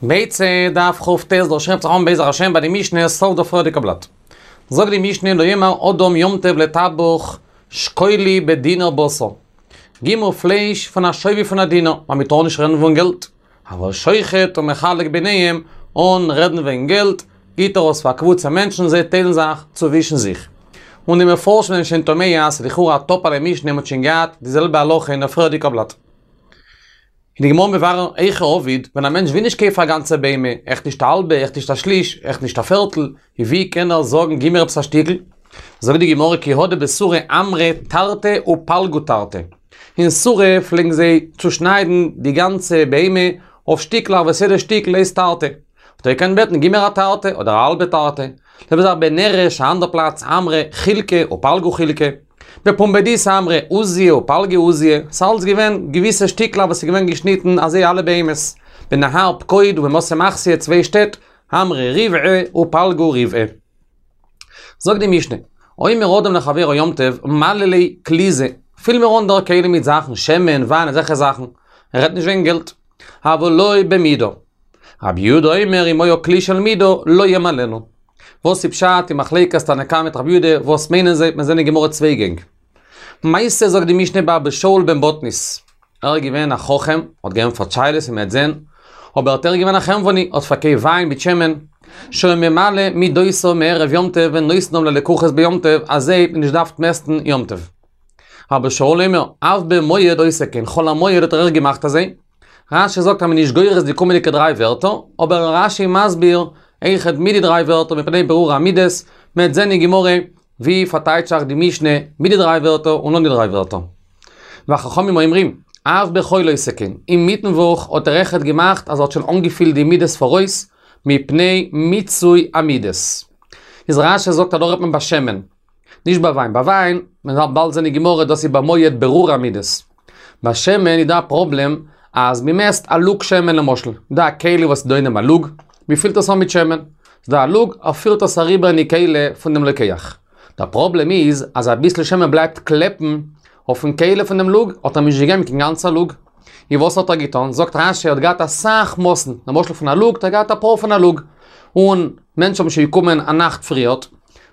ביצה דף כ"ט דא שרייבט זיך אן בעזר השם ביי די משנה סוף די פריערדיגע בלאט. זאגט די משנה לא יאמר אדם יום טוב לטבח שקול לי בדינר בשר. גיב מיר פלייש פון א שווי פון א דינר, ווייל מען טאר נישט רעדן פון געלט. אבל שוחט ומחלק ביניהם, אן רעדן וועגן געלט, גיט ער עס פאר א קבוצה מענטשן זיי טיילן זיך צווישן זיך. און די מפרשים זענען שוין תמה אז ס'איז לכאורה א טאפעלע משנה מ'האט שוין געהאט די זעלבע הלכה אין די פריערדיגע בלאט. איז די גמרא מברר היכי עביד, ווען א מענטש וויל נישט קויפן א גאנצע בהמה, אויך נישט א האלבע, אויך נישט א שליש, אויך נישט א פערטל, ווי קען ער זאגן גיב מיר עפעס א שטיקל? זאגט די גמרא כי הא דבסורא אמרי תרתי ופלגו תרתי. אין סורא פלעגן זיי צושניידן די גאנצע בהמה אויף שטיקלעך וואס יעדע שטיקל הייסט תרתי. האט ער געקענט בעטן גיב מיר א תרתי אדער א האלבע תרתי. זעלבע זאך בנרש א אנדער פלאץ אמרי חילקא ופלגו חילקא. בפומבדיתא אמרי עוזיא ופלגי עוזיא, ס'איז אלץ געווען געוויסע שטיקלעך וואס איז געווען געשניטן אזוי אלע בהמות. בנהר פקוד ובמתי מחסיא צוויי שטעט, אמרי ריבעא ופלגו ריבעא. זאגט די משנה, אומר אדם לחבירו יום טוב, מלא לי כלי זה, פיל מיר אן דער כלי מיט זאכן, שמן, וויין, אזעלכע זאכן, ער רעדט נישט וועגן געלט. אבל לא במידה. רבי יהודה אומר אם היה כלי של מידה לא ימלאנו. וואס איז פשט אין מחלוקת תנא קמא מיט רבי יהודה, וואס מיינען זיי, מיר זעען אין גמרא צוויי גענג. מעשה זאגט די משנה באבא שאול בן בטנית, ער איז געווען א חכם, האט געענטפערט שאלות ווי מ'וועט זען, אבער ער איז געווען א חנווני, האט פארקויפט וויין מיט שמן, שהיה ממלא מידותיו מערב יום טוב ונותנם ללקוחות ביום טוב, אזוי האט מען נישט געדארפט מעסטן יום טוב. אבא שאול אומר, אף במועד עושה כן, חול המועד האט ער אויך געמאכט אזוי. רש"י זאגט אז מען איז נישט גורס די קומענדיגע דריי ווערטער, אבער רש"י מסביר אויכעט מיט די דריי ווערטער מפני בירור המידות, מען וועט זען אין גמרא ווי פארטייטשט זיך די משנה מיט די דריי ווערטער און אן די דריי ווערטער. וחכמים אומרים, אף בחול עושה כן, אינמיטן וואך האט ער אויכעט געמאכט אז ער האט שוין אנגעפילט די מידות פאראויס, מפני מיצוי המידות. איז רש"י זאגט אז דא רעדט מען ביי שמן. נישט ביי וויין, ביי וויין, מען וועט באלד זען אין גמרא דאס איז במועד בירור המידות. ביי שמן איז דא א פראבלעם אז מען מעסט א לוג שמן למשל, דא א כלי וואס איז דא אין דעם א לוג, מען פילט עס אן מיט שמן, ס'איז דא א לוג, ער פירט עס אריבער אין די כלי פון דעם לוקח. דער פראבלעם איז אז אביסל שמן בלייבט קלעפן אויפן כלי פון דעם לוג, האט ער נישט געגעבן קיין גאנצע לוג. און וואס האט ער געטון? זאגט רש"י ער האט געהאט אסאך מאסן, למשל פון א לוג האט ער געהאט אפאר פון א לוג, און מענטשן האבן שוין געקומען א נאכט פריערט,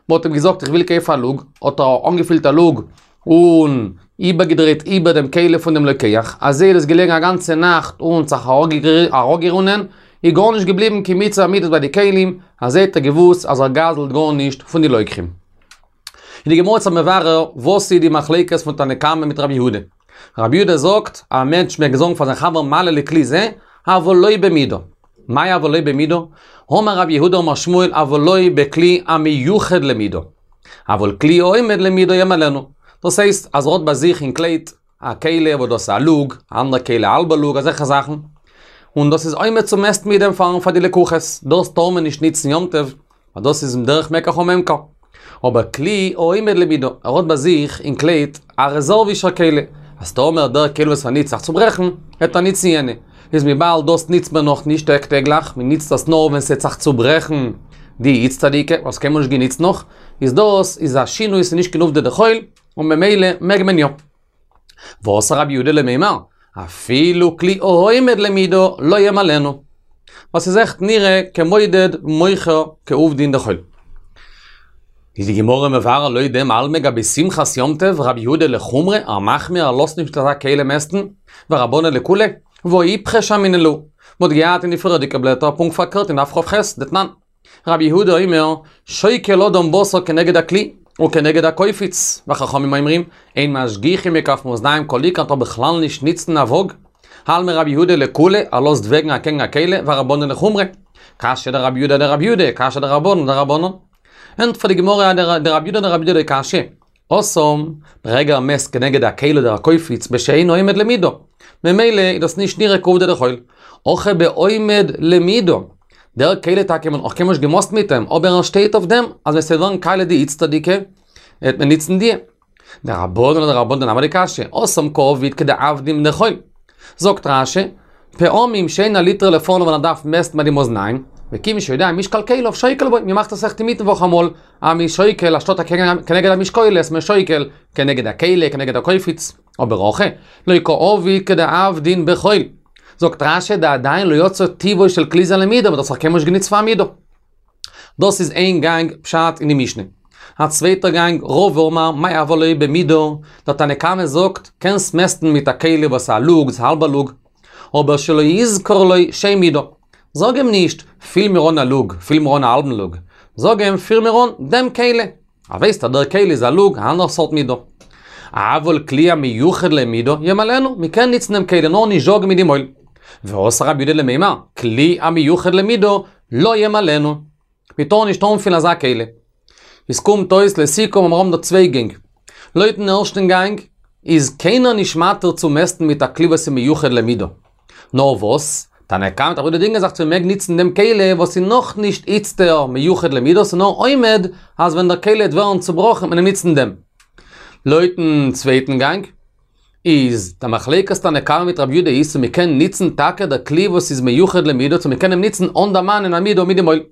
מען האט אים געזאגט איך וויל קויפן א לוג, האט ער אנגעפילט א לוג און איבערגעדרייט איבער דעם כלי פון דעם לוקח, אזוי איז עס געלעגן א גאנצע נאכט און זיך אראפגערונען, איז גארנישט געבליבן קיין מיצוי המידות ביי די כלים, אזוי האט ער געוואוסט אז ער גזל'ט גארנישט פון די לוקחים. איז די גמרא יעצט מברר וואס איז די מחלוקת פון תנא קמא מיט רבי יהודה. רבי יהודה זאגט, א מענטש מעג זאגן פאר זיין חבר מלא לי כלי זה, אבל לא במידה. מאי אבל לא במידה? אמר רב יהודה אמר שמואל אבל לא בכלי המיוחד למידה. אבל כלי העומד למידה ימלאנו. דאס הייסט אז ער האט ביי זיך אין קלייט א כלי וואס דאס איז א לוג, א אנדערע כלי א האלבע לוג, אזעלכע זאכן. און דאס איז עומד צו מעסטן מיט דעם פארן פאר די לקוחות. דאס טאר מען נישט ניצן יום טוב, ווייל דאס איז דרך מקח וממכר. אבער כלי העומד למידה, ער האט ביי זיך אין קלייט א רעזערווישער כלי, אז טאמער דער כלי וואס ער ניצט זיך צוברעכן, וועט ער ניצן יענע. איז וויבאלד דאס ניצט מען נאך נישט טאג טעגליך, מען ניצט דאס נאר ווען ס'העט זיך צוברעכן די איצטערדיגע, וואס קיינמאל נישט געניצט נאך, איז דאס איז א שינוי ס'איז נישט קיין עובדא דחול, און ממילא מעג מען יא. ואתא רבי יהודה למימר, אפילו כלי העומד למידה לא ימלאנו. וואס איז עכט נראה כמודד ומוכר כעובדין דחול. איז די גמרא מברר לויט דעם אלמא גבי שמחת יום טוב רבי יהודה לחומרא ער מחמיר ער לאזט נישט אזא כלי מעסטן, ורבנן לקולא, והא איפכא שמעינן להו. מ'האט געהאט אין די פריערדיגע בלעטער פונקט פארקערט אין דף כ"ח, דתנן. רבי יהודה אומר, שוקל אדם בשר כנגד הכלי, וכנגד הקופיץ, וחכמים אומרים, אין משגיחין בכף מאזניים כל עיקר טאר בכלל נישט ניצן א וואג. אלמא רבי יהודה לקולא, ער לאזט וועגן אקעגן א כלי, ורבנן לחומרא. קשיא דרבי יהודה אדרבי יהודה, קשיא דרבנן אדרבנן. ענטפערט די גמרא דרבי יהודה אדרבי יהודה לא קשיא. התם, ברגע ער מעסט כנגד הכלי אדער הקופיץ בשאינו עומד למידה. ממילא איז דאס נישט נראה כעובדא דחול. הכא בעומד למידה. דער כלי טאקע מ'האט נאך קיינמאל נישט געמאסט מיט אים, אבער ער שטייט אויף דעם אז ווען ס'וועט ווערן קאליע די איצטערדיגע, וועט מען ניצן די. דרבנן אדרבנן נמי לא קשיא, התם קעביד כדעבדין דחול. זאגט רש"י, פעמים שאין הליטרא לפניו ווען ער דארף מעסטן ביי די מאזניים, וכיוון שיודע משקל כליו שוקל בו, מען מאכט עס אויך אינמיטן וואך אמאל, אז מ'איז שוקל אנשטאט כנגד המשקולת, מ'איז שוקל כנגד הכלי, כנגד הקופיץ, אבער הכא, לא קעביד כדעבדין בחול. זאגט רש"י דעדיין לא יצא טיבו של כלי זה למידה, מ'האט דאס נאך קיינמאל נישט גענוצט פאר א מידה. דאס איז איין גאנג פשט אין די משנה. א צווייטער גאנג, רבא אמר מאי הוה ליה במידה, דער תנא קמא זאגט, קענסט מעסטן מיט א כלי וואס איז א לוג, ס'איז א האלבע לוג, אבער שלא יזכור לו שם מידה. זאג אים נישט, פיל מיר אן א לוג, פיל מיר אן א האלבן לוג. זאג אים, פיל מיר אן דעם כלי. ער ווייסט אז דער כלי איז א לוג, א אנדערע סארט מידה. אבל כלי המיוחד למידה, ימלאנו, מען קען ניצן דעם כלי נאר נישט זאגן מיט די מויל. ואתא רבי יהודה למימר, כלי המיוחד למידה, לא ימלאנו. מען טאר נישט אנפילן אזא כלי. עס קומט אויס לסיכום אז מיר האבן דא צוויי גענג. לויטן ערשטן גאנג איז קיינער נישט מתיר צו מעסטן מיט א כלי וואס איז מיוחד למידה. נאר וואס, תנא קמא מיט רבי יהודה דינגען זיך צו מ'מעג ניצן דעם כלי וואס איז נאכנישט איצטער מיוחד למידה, ס'איז נאר עומד אז ווען דער כלי וועט ווערן צובראכן וועט מען ניצן דעם. לויטן צווייטן גאנג איז די מחלוקת תנא קמא מיט רבי יהודה איז צו מ'קען ניצן טאקע דער כלי וואס איז מיוחד למידה צו מ'קען אים ניצן אן דערמאנען א מידה מיט די מויל.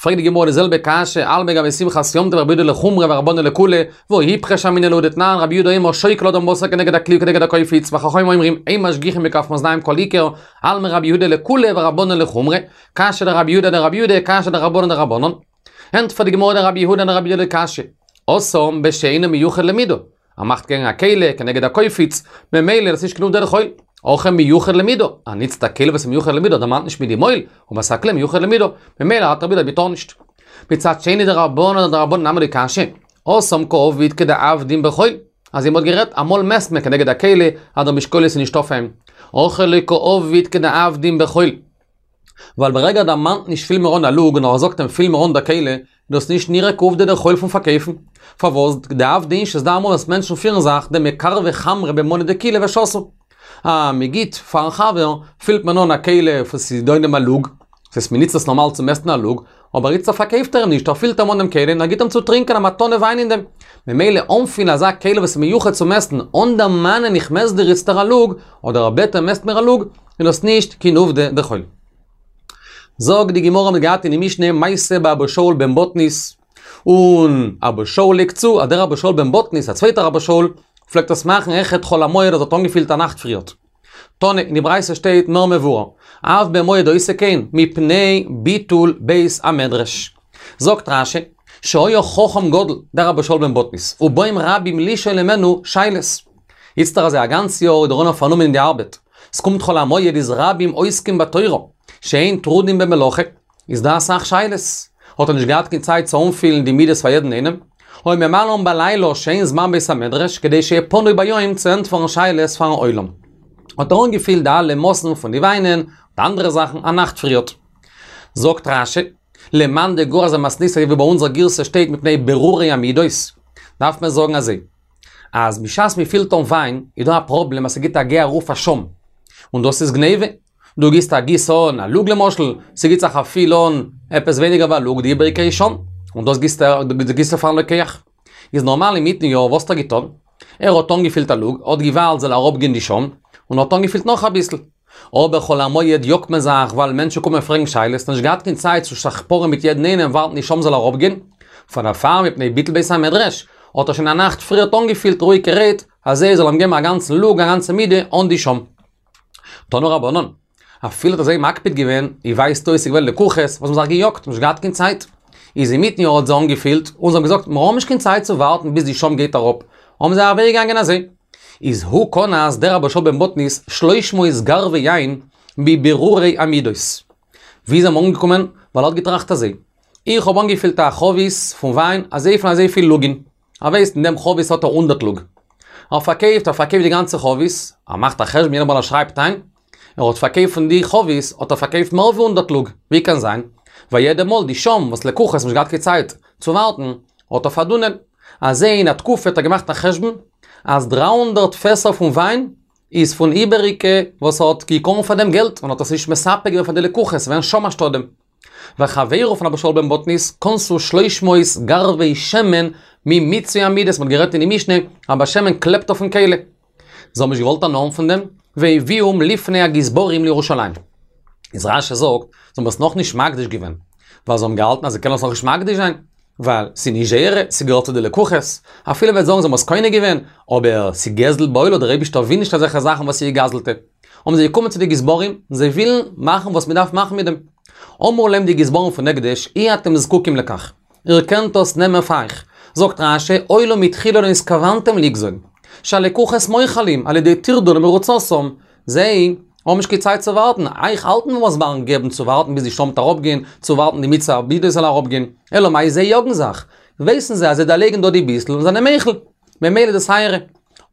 פרעגט די גמרא די זעלבע קשיא, אלמא גבי שמחת יום טוב רבי יהודה לחומרא ורבנן לקולא, והא איפכא שמעינן להו דתנן רבי יהודה אומר שוקל אדם בשר כנגד הכלי וכנגד הקופיץ, וחכמים אומרים אין משגיחין בכף מאזניים כל עיקר, אלמא רבי יהודה לקולא ורבנן לחומרא, קשיא דרבי יהודה אדרבי יהודה, קשיא דרבנן אדרבנן. ענטפערט די גמרא דרבי יהודה אדרבי יהודה לא קשיא, התם בשאינו מיוחד למידה, ער מאכט קעגן א כלי, כנגד הקופיץ, ממילא דאס איז נישט קיין עובדא דחול. הכא מיוחד למידה, ער ניצט א כלי וואס איז מיוחד למידה, דערמאנט נישט מיט די מויל, אבער ס'איז א כלי מיוחד למידה, ממילא האלט רבי יהודה אז מ'טאר נישט. מצד שני דרבנן אדרבנן נמי לא קשיא, התם קעביד כדעבדין בחול, אזוי מ'האט גערעדט, אמאל מעסט מען כנגד הכלי, אז דער משקולת איז נישט אויף אים. הכא לא קעביד כדעבדין בחול. ווייל ברגע ער דערמאנט נישט פיל מיר אן א לוג נאר ער זאגט אים פיל מיר אן דער כלי, איז דאס נישט נראה כעובדא דחול פון פארקויפן. פארוואס? דעבדי אינשי ס'איז דא אמאל וואס מענטשן פירן זיך דמקרבי חמרא במנא דקילא ושתו. אז מ'גיט פארן חבר, פילט מען אן א כלי וואס ס'איז דא אין דעם א לוג, דאס הייסט מ'ניצט עס נארמאל צו מעסטן א לוג, אבער איצטער פארקויפט ער אים נישט, ער פילט אים אן דעם כלי און ער גיט אים צו טרינקען א מתנה וויין אין דעם. ממילא אנפילן אזא כלי וואס איז מיוחד צו מעסטן, אן דערמאנען איך מעסט דיר איצטער א לוג, אדער ער בעט אים מעסט מיר א לוג, איז דאס נישט קיין עובדא דחול. זאגט די גמרא מ'האט געהאט אין די משנה מעשה באבא שאול בן בטנית, און אבא שאול לייגט צו אז דער אבא שאול בן בטנית, א צווייטער אבא שאול, פלעגט עס מאכן אויכעט חול המועד אז ער האט אנגעפילט א נאכט פריערט. תנא, אין די ברייתא שטייט מער מבואר, אף במועד עושה כן, מפני ביטול בית המדרש. זאגט רש"י, שהיה חכם גדול, דער אבא שאול בן בטנית, ובאים רבים לשאול ממנו שאלות. איצטער אזוי א גאנץ יאר איז דער עולם פארנומען אין די ארבעט, ס'קומט חול המועד איז רבים עוסקים בתורה, שאין טרודים במלאכה, איז דא אסאך שאלות, האט ער נישט געהאט קיין צייט צו אנפילן די מידות פאר יעדן איינעם, היה ממלאן בלילה שאין זמן בית המדרש כדי שיהיה פנוי ביום צו ענטפערן שאלות פארן עולם. האט ער אנגעפילט די אלע מאסן פון די וויינען און אנדערע זאכן א נאכט פריערט. זאגט רש"י, למאן דגורס במתניתא ווי ביי אונזער גירסא שטייט מפני ברורי המידות, דארף מען זאגן אזוי, אז בשעת מען פילט אן וויין איז דא א פראבלעם אז ס'גיט א גיי ארויף א שוים, און דאס איז גניבה, דו גיסט א גיס אן א לוג למשל, ס'גיט זיך א פיל אן עפעס ווייניגער ווי א לוג, די איבעריגע איז שוים, און דאס גיסטו פארן לוקח. איז נארמאל אינמיטן יאר וואס האט ער געטון? ער האט אנגעפילט א לוג, האט געווארט זאל אראפגיין די שוים, און האט אנגעפילט נאך אביסל. אבער חול המועד יאגט מען זיך ווייל מענטשן קומען פרעגן שאלות, נישט געהאט קיין צייט צו זיך פארען מיט יעדן איינעם ווארטן די שוים זאל אראפגיין, פאר דערפאר מפני ביטול בית המדרש, האט ער שוין א נאכט פריערט אנגעפילט רואיגערהייט, אז זיי זאל אים געבן א גאנצן לוג א גאנצע מידה אן די שוים. תנו רבנן, אפילו האט אזוי מקפיד געווען, ווי ווייזט אויס ס'איז געווען לקוחות וואס האבן זיך געיאגט, נישט געהאט קיין צייט. איז אינמיטן יאר האט זיי אנגעפילט, און זיי האבן געזאגט מיר האבן נישט קיין צייט צו ווארטן ביז די שוים גייט אראפ, האבן זיי אוועקגעגאנגען אזוי. איז הוא קנס דער אבא שאול בן בטנית שלש מאות גרבי יין מבירורי המידות. ווי איז ער אנגעקומען? ווייל ער האט געטראכט אזוי, איך האב אנגעפילט א חבית פון וויין אזויפיל און אזויפיל לוגין. ער ווייסט אין דעם חבית האט ער הונדערט לוג. ער פארקויפט, ער פארקויפט די גאנצע חבית, ער מאכט א חשבון יעדע מאל ער שרייבט איין, ער האט פארקויפט פון די חבית האט ער פארקויפט מער ווי הונדערט לוג, ווי קען זיין? ווייל יעדע מאל די שוים וואס לקוחות האבן נישט געהאט קיין צייט צו ווארטן, האט ער פארדונען. אזוי אין א תקופה האט ער געמאכט א חשבון אז 300 פעסער פון וויין איז פון איבעריגע וואס ער האט געקראגן פאר דעם געלט און האט עס נישט מספק געווען פאר די לקוחות געווען שוים אנשטאט דעם. וחברו פון אבא שאול בן בטנית קנסו שלש מאות גרבי שמן ממיצוי המידות, מ'האט גערעדט אין די משנה אז ביי שמן קלעבט אויפן כלי. זיי האבן נישט געוואלט הנאה האבן פון דעם, והביאום לפני הגזברים לירושלים. איז רש"י זאגט, זיי האבן עס נאכנישט מקדיש געווען, ווייל זיי האבן געהאלטן אז זיי קענען עס נאכנישט מקדיש זיין, ווייל ס'איז נישט זייערע, ס'געהערט צו די לקוחות, אפילו מ'וועט זאגן זיי האבן עס קונה געווען, אבער ס'איז גזל בעולה, דער אייבישטער וויל נישט אזעלכע זאכן וואס איז גע'גזל'טע. האבן זיי געקומען צו די גזברים, און זיי ווילן מאכן וואס מען דארף מאכן מיט דעם. אמרו להם די גזברים פון הקדש, אי אתם זקוקים לכך. איר קענט דאס נעמען פאר אייך. זאגט רש"י, הואיל ומתחילה לא נתכוונתם לגזול, שהלקוחות מוחלים על ידי טרדון ומרוצתם, זיי האבן נישט קיין צייט צו ווארטן, אייך האלטן וואס ביים געבן צו ווארטן ביז די שלמים וועט אראפגיין, צו ווארטן די מצוה המידה זאל אראפגיין, אלא מאי זיי יאגן זיך, ווייסן זיי אז זיי דערלייגן דא די ביסל און זענען מוחל, ממילא איז דאס אייערע.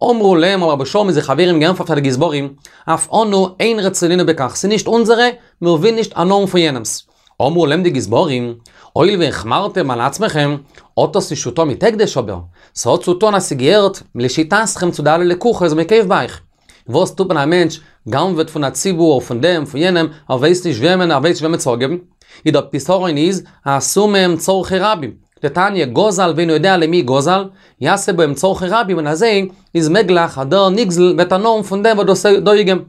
אמרו להם האבן רבי שאול מיט זיין חברים געענטפערט פאר די גזברים, אף אנו אין רצונינו בכך, ס'איז נישט אונזערע, מיר ווילן נישט הנאה האבן פון יענעמ'ס. אמרו להם די גזברים, הואיל והחמרתם על עצמכם, האט דאס נישט צו טון מיט הקדש אבער, ס'האט צו טון אז ס'געהערט לשיטתכם צו די אלע לקוחות וואס מ'קויפט ביי אייך. וואס טוט מען א מענטש גנב'עט פון א ציבור, פון דעם, פון יענעם, ער ווייסט נישט וועמען, ער ווייסט נישט וועמען צו אפגעבן. איז דער פתרון איז, עשו מהם צרכי רבים. דתניא, גזל ואינו יודע למי גזל, יעשה בהם צרכי רבים, און אזוי איז מעגליך אז דער נגזל וועט הנאה האבן פון דעם וואס דאס איז דא געגעבן.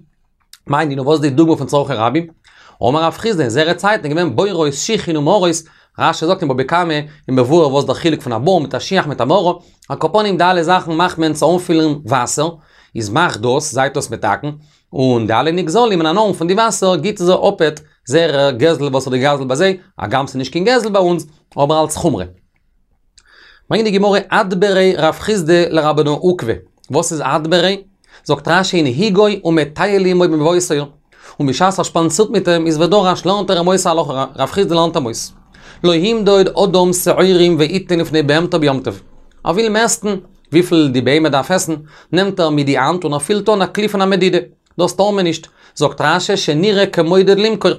מאי נינהו וואס איז די דוגמא פון צרכי רבים? אמר רב חסדא אין זייערע צייטן איז געווען בורות שיחין ומערות, רש"י זאגט אין בבא קמא איז מבואר וואס דער חילוק פון א בור מיט א שיח מיט א מערה, על כל פנים די אלע זאכן מאכט מען צו אנפילן וואסער, איז מאכט דאס, זייט דאס מתקן, און די אלע נגזלים וועלן הנאה האבן פון די וואסער גיט זיי אפעט זייער גזל וואס האט געגזלט ביי זיי, הגם ס'איז נישט קיין גזל ביי אונז, אבער אלץ חומרא. ברענגט די גמרא אדבריה רב חסדא לרבנא עוקבא, וואס איז אדבריה? זאגט רש"י הנהיגו ומטייל עמו במבואות העיר, און בשעת ער שפאנצירט מיט אים איז ודרש לערנט ער אים אויס הלכה, רב חסדא לערנט אים אויס, לא ימדוד אדם שעורים ויתן לפני בהמתו ביום טוב, ער וויל מעסטן וויפיל די בהמה דארף עסן, נעמט ער מיט די האנט און ער פילט אן א כלי פון א מדידה, דאס טאר מען נישט, זאגט רש"י שנראה כמודד למכור.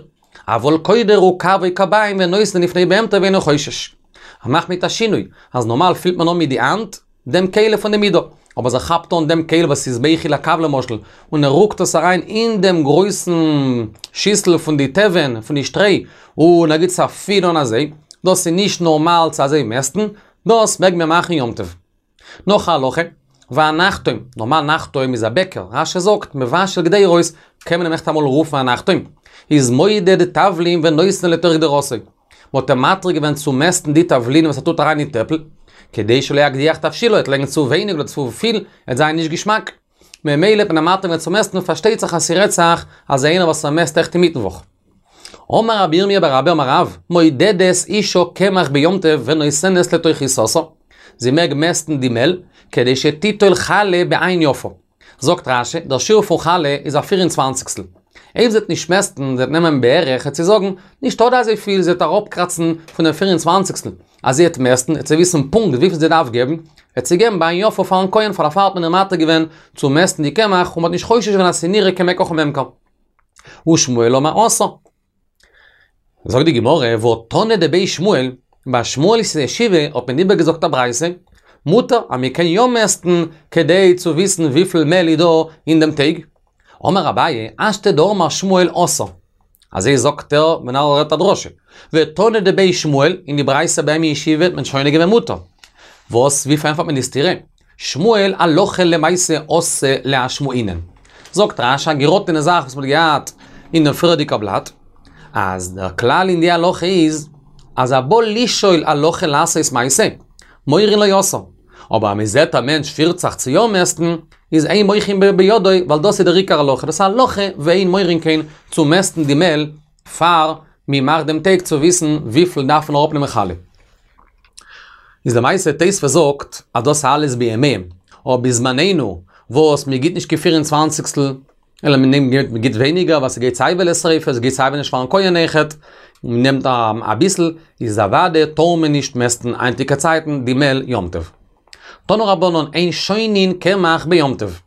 אבל קודר אוכף או כביים ונותן לפני בהמתו ואינו חושש. ער מאכט מיט א שינוי, אז נארמאל פילט מען אן מיט די האנט דעם כלי פון די מידה, אבער אז ער כאפט אן דעם כלי וואס איז בייכיל א קב למשל, און ער רוקט עס אריין אין דעם גרויסן שיסל פון די תבן, פון די שטרוי, און ער גיט עס א פיל אן אזוי, דאס איז נישט נארמאל צו אזוי מעסטן, דאס מעג מען מאכן יום טוב. נאך א הלכה, והנחתום, נארמאל נחתום איז א בעקער, רש"י זאגט, מבשל קדירות, קען מען אים עכט אמאל רופן א נחתום, איז מודד תבלין ונותן לתוך קדרתו. מ'האט אים מתיר געווען צו מעסטן די תבלין וואס ער טוט אריין אין טעפל, כדי שלא יקדיח תבשילו, ער וועט לייגן צו ווייניג אדער צו פיל, עט זיין נישט געשמאק. ממילא האט מען אים מתיר געווען צו מעסטן, פארשטייט זיך אז ס'רעדט זיך אז איינער וואס ער מעסט עכט אינמיטן וואך. אמר רבי ירמיה בר אבא אמר רב, מודדת אישה קמח ביום טוב ונותנת לתוך עיסתה, זי מעג מעסטן די מעל, כדי שתיטול חלה בעין יפה. זאגט רש"י, דער שיעור פון חלה איז א פיר און צוואנציגסטל. אויב זי וועט נישט מעסטן, זי וועט נעמען בערך, וועט זי זאגן, נישטא דא אזוי פיל, זי וועט אראפקראצן פון דעם פיר און צוואנציגסטל. אז זי וועט מעסטן, וועט זי וויסן פונקט וויפיל זי דארף געבן, וועט זי געבן בעין יפה פארן כהן, פאר דערפאר האט מען איר מתיר געווען צו מעסטן די קמח, און מ'האט נישט חושש געווען אז ס'איז נראה כמקח וממכר. ושמואל אמר אסור. זאגט די גמרא, והא תנא דבי שמואל, ביי שמואל'ס ישיבה האט מען איבערגעזאגט א ברייתא, מותר אז מען קען יא מעסטן כדי צו וויסן וויפיל מעל איז דא אין דעם טייג. אמר אביי, השתא דאמר שמואל אסור. אזוי זאגט ער ווען ער רעדט א דרשה. ותנא דבי שמואל, אין די ברייתא ביי אים אין ישיבה האט מען שונה געווען מותר. וואס, ווי פארענטפערט מען די סתירה? שמואל הלכה למעשה אתא לאשמועינן. זאגט רש"י א געראטענע זאך וואס מ'האט געהאט אין דעם פריערדיגע בלאט, אז דער כלל אין די הלכה איז, אז הבא לשאול הלכה לעשות מעשה, מורין לו אסור. אבער אז מ'זעט א מענטש פירט זיך צו יא מעסטן, איז אין מוחין בידו, ווייל דאס איז דער עיקר הלכה, דאס איז הלכה ואין מורין כן צו מעסטן די מעל פאר מ'מאכט דעם טייג צו וויסן וויפיל דארף מען אראפנעמען חלה. איז למעשה תוספות זאגט אז דאס אלעס בימיהם, אבער בזמנינו וואס מען גיט נישט קיין פיר און צוואנציגסטל, אלא מען נעמט מען גיט ווייניגער ווייל ס'גייט סיי ווי לשריפה ס'גייט סיי ווי נישט פארן כהן אויכעט, מען נעמט אביסל, איז אוודאי טאר מען נישט מעסטן היינטיגע צייטן די מעל יום טוב. תנו רבנן אין שונין קמח ביום טוב.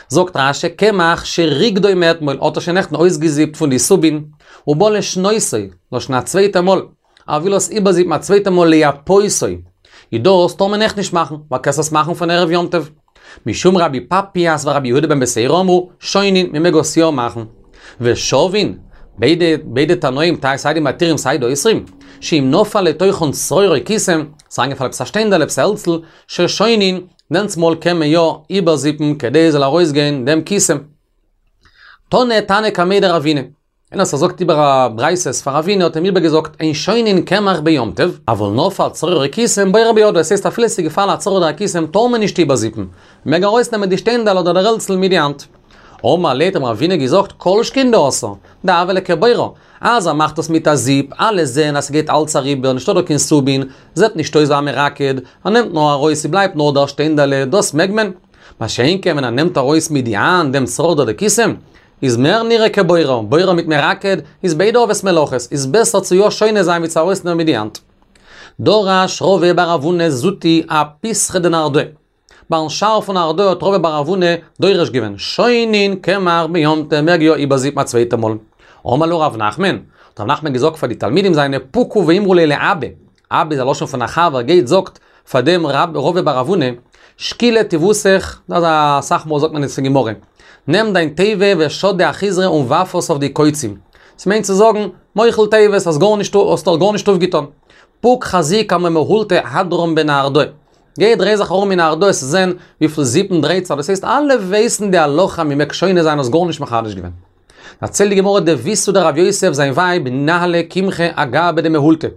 זאגט רש"י קמח שריגדו מאתמול האט ער שוין נעכטן אויסגעזיפט פון די סובין, ובא לשנותו, לשון א צווייטע מאל, ער וויל עס איבערזיפן א צווייטע מאל לייפותו, איז דאס טאר מען אויך נישט מאכן, ווייל קענסט עס מאכן פון ערב יום טוב. משום רבי פפייס ורבי יהודה בן בתירא אמרו, שונין, מען מעג עס יא מאכן. ושוין, ביידע ביידע תנאים, סיי די מתירים סיי די אוסרים, שאם נפל לתוכן צרור או קיסם, ס'איז אריינגעפאלן עפעס א שטיינדעל עפעס א העלצל, ששונין, דענסמאל קען מען יא איבערזיפן כדי עס זאל ארויסגיין דעם קיסם. תנא תנא קמיה דרבינא. איינער וואס זאגט איבער א ברייתות פאר רבינא האט אים איבערגעזאגט אין שונין קמח ביום טוב, אבל נפל צרור או קיסם בורר בידו, עס הייסט אפילו עס איז געפאלן א צרור אדער א קיסם טאר מען נישט איבערזיפן, מען מעג ארויסנעמען די שטיינדעל אדער דער העלצל מיט די האנט. אמר ליה האט אים רבינא געזאגט כל שכן דאסור, דהוה ליה כבורר, אז ער מאכט עס מיט א זיפ, אלע זעהן אז ס'גייט אלץ אריבער, נישטא דא קיין סובין, זעט נישט אויס ווי א מרקד, ער נעמט נאר ארויס ס'בלייבט נאר דער שטיינדעלע, דאס מעג מען. מה שאין כן ווען ער נעמט ארויס מיט די האנט דעם צרור אדער די קיסם, איז מער נראה כבורר, בורר מיט מרקד איז ביידע אבות מלאכות, איז בעסער צו יא שונה זיין ווי צו ארויסנעמען מיט די האנט. דרש רבא בר רב הונא זוטי אפיתחא דנהרדעא. ביים שער פון נהרדעא האט רבא בר רב הונא דורש געווען, שונין קמח ביום טוב מעג יא איבערזיפן א צווייטע מאל. אמר להו רב נחמן, האט רב נחמן געזאגט פאר די תלמידים זיינע פוקו ואמרו ליה לאבא, אבא איז א לשון פון א חבר, גייט זאגט פאר דעם רבא בר רב הונא, שקיל לטיבותך, דאס איז אסאך מאל זאגט מען עס אין גמרא, נעם דיין טובה ושדי אחיזרי און ווארף עס אויף די קוצים. ס'מיינט צו זאגן, מוחל טובות, האסט גארנישט האסט דאך גארנישט אויפגעטון. פוק חזי כמה מהולתי הדרן בנהרדעא. גיי דריי זיך ארום אין נהרדעא וועסט זען וויפיל זיפן דרייט זיך, דאס הייסט אלע ווייסן די הלכה מ'מעג שונה זיין האסט גארנישט מחדש געווען. דערציילט די גמרא דביתהו דרב יוסף זיין ווייב ניהלה קמחא אגבא דמהולתא.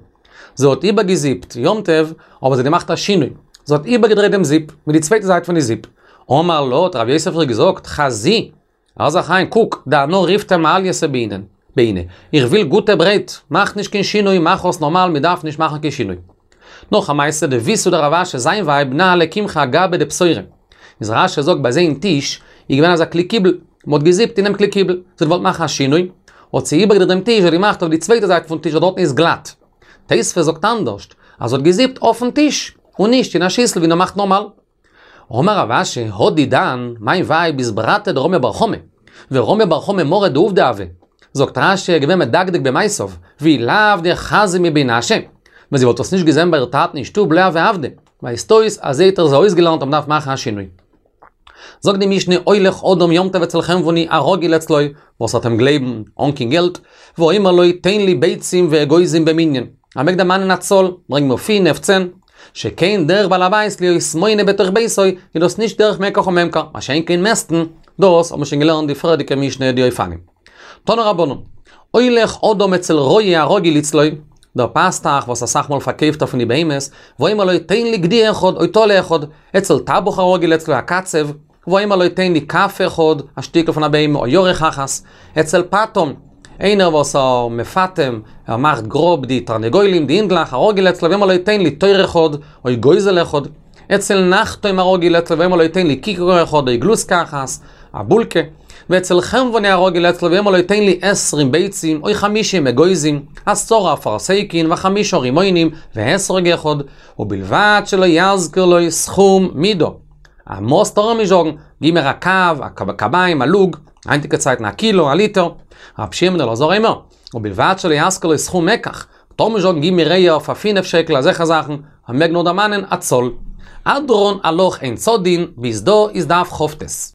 זי האט איבערגעזיפט יום טוב, אבער זי האט געמאכט א שינוי, זי האט איבערגעדרייט דעם זיפ, מיט די צווייטע זייט פון די זיפ. אמר לה, האט רב יוסף איר געזאגט, חזי, הער זיך איין, קוק, דאנא ריפתא מעלייתא בעינא, איך וויל גוטע ברויט, מאך נישט קיין שינוי, מאך עס נארמאל, מען דארף נישט מאכן קיין שינוי. נאך א מעשה, דביתהו דרב אשי, זיין ווייב ניהלה קמחא אגבא דפתורא. איז רש"י זאגט ביי זיי אין טיש איז געווען אזא כלי קיבול, מען האט געזיפט אינעם כלי קיבול, זי האט געוואלט מאכן א שינוי, האט זי איבערגעדרייט דעם טיש, האט געמאכט אויף די צווייטע זייט פון טיש וואס דארטן איז גלאט. תוספות זאגט אנדערשט, אז זי האט געזיפט אויפן טיש, און נישט אין א שיסל ווי מען מאכט נארמאל. אמר רב אשי, הא דידן, מיין ווייב איז ברתה דרמי בר חמא, ורמי בר חמא מרא דעובדא הוה. זאגט רש"י, געווען מדקדק במעשיו, ואי לאו דחזיא מבי נשא, ווען זי וואלט עס נישט געזען ביי איר טאטן אין שטוב לא הוה עבדא, ווייזט אויס אז זי האט איר אזוי אויסגעלערנט אז מ'דארף מאכן א שינוי. זאגט די משנה הולך אדם יום טוב אצל חנווני הרגיל אצלו, וואס וועט אים גלייבן אן קיין געלט, ואומר לו תן לי ביצים ואגוזים במנין, ער מעג דערמאנען א צאל, ברענג מיר פינף, צען, שכן דרך בעל הבית להיות מונה בתוך ביתו, איז דאס נישט דרך מקח וממכר, מה שאין כן מעסטן, דאס האט מען שוין געלערנט די פריערדיגע משנה די אופנים. תנו רבנן, הולך אדם אצל רועה הרגיל אצלו, דער פאסטאך וואס אסאך מאל פארקויפט ער פון די בהמות, ואומר לו תן לי גדי אחד או טלה אחד, אצל טבח הרגיל אצלו א קצב, ואומר לו תן לי כף אחד, א שטיקל פון א בהמה, או ירך אחת, אצל פטם, איינער וואס ער מפטם, ער מאכט גראב די תרנגולים, די הינדלעך, הרגיל אצלו, ואומר לו תן לי תור אחד, או גוזל אחד, אצל נחתום הרגיל אצלו, ואומר לו תן לי כיכר אחד, או גלוסקא אחת, א בולקע. ואצל חנווני הרגיל אצלו ואומר לו תן לי עשרים ביצים או חמישים אגוזים, עשרה אפרסקין וחמישה רימונים ואתרוג אחד, ובלבד שלא יזכיר לו סכום מידה. א מאס טאר ער נישט זאגן, גיב מיר א קב, א קביים, א לוג, היינטיגע צייטן א קילו, א ליטער. רבי שמעון בן אלעזר אומר, ובלבד שלא יזכיר לו סכום מקח, טאר מען נישט זאגן גיב מיר אייער פאר פינף שקל אזעלכע זאכן, ער מעג נאר דערמאנען א צאל. הדרן עלך אין צדין, ביז דא איז דף כ"ט.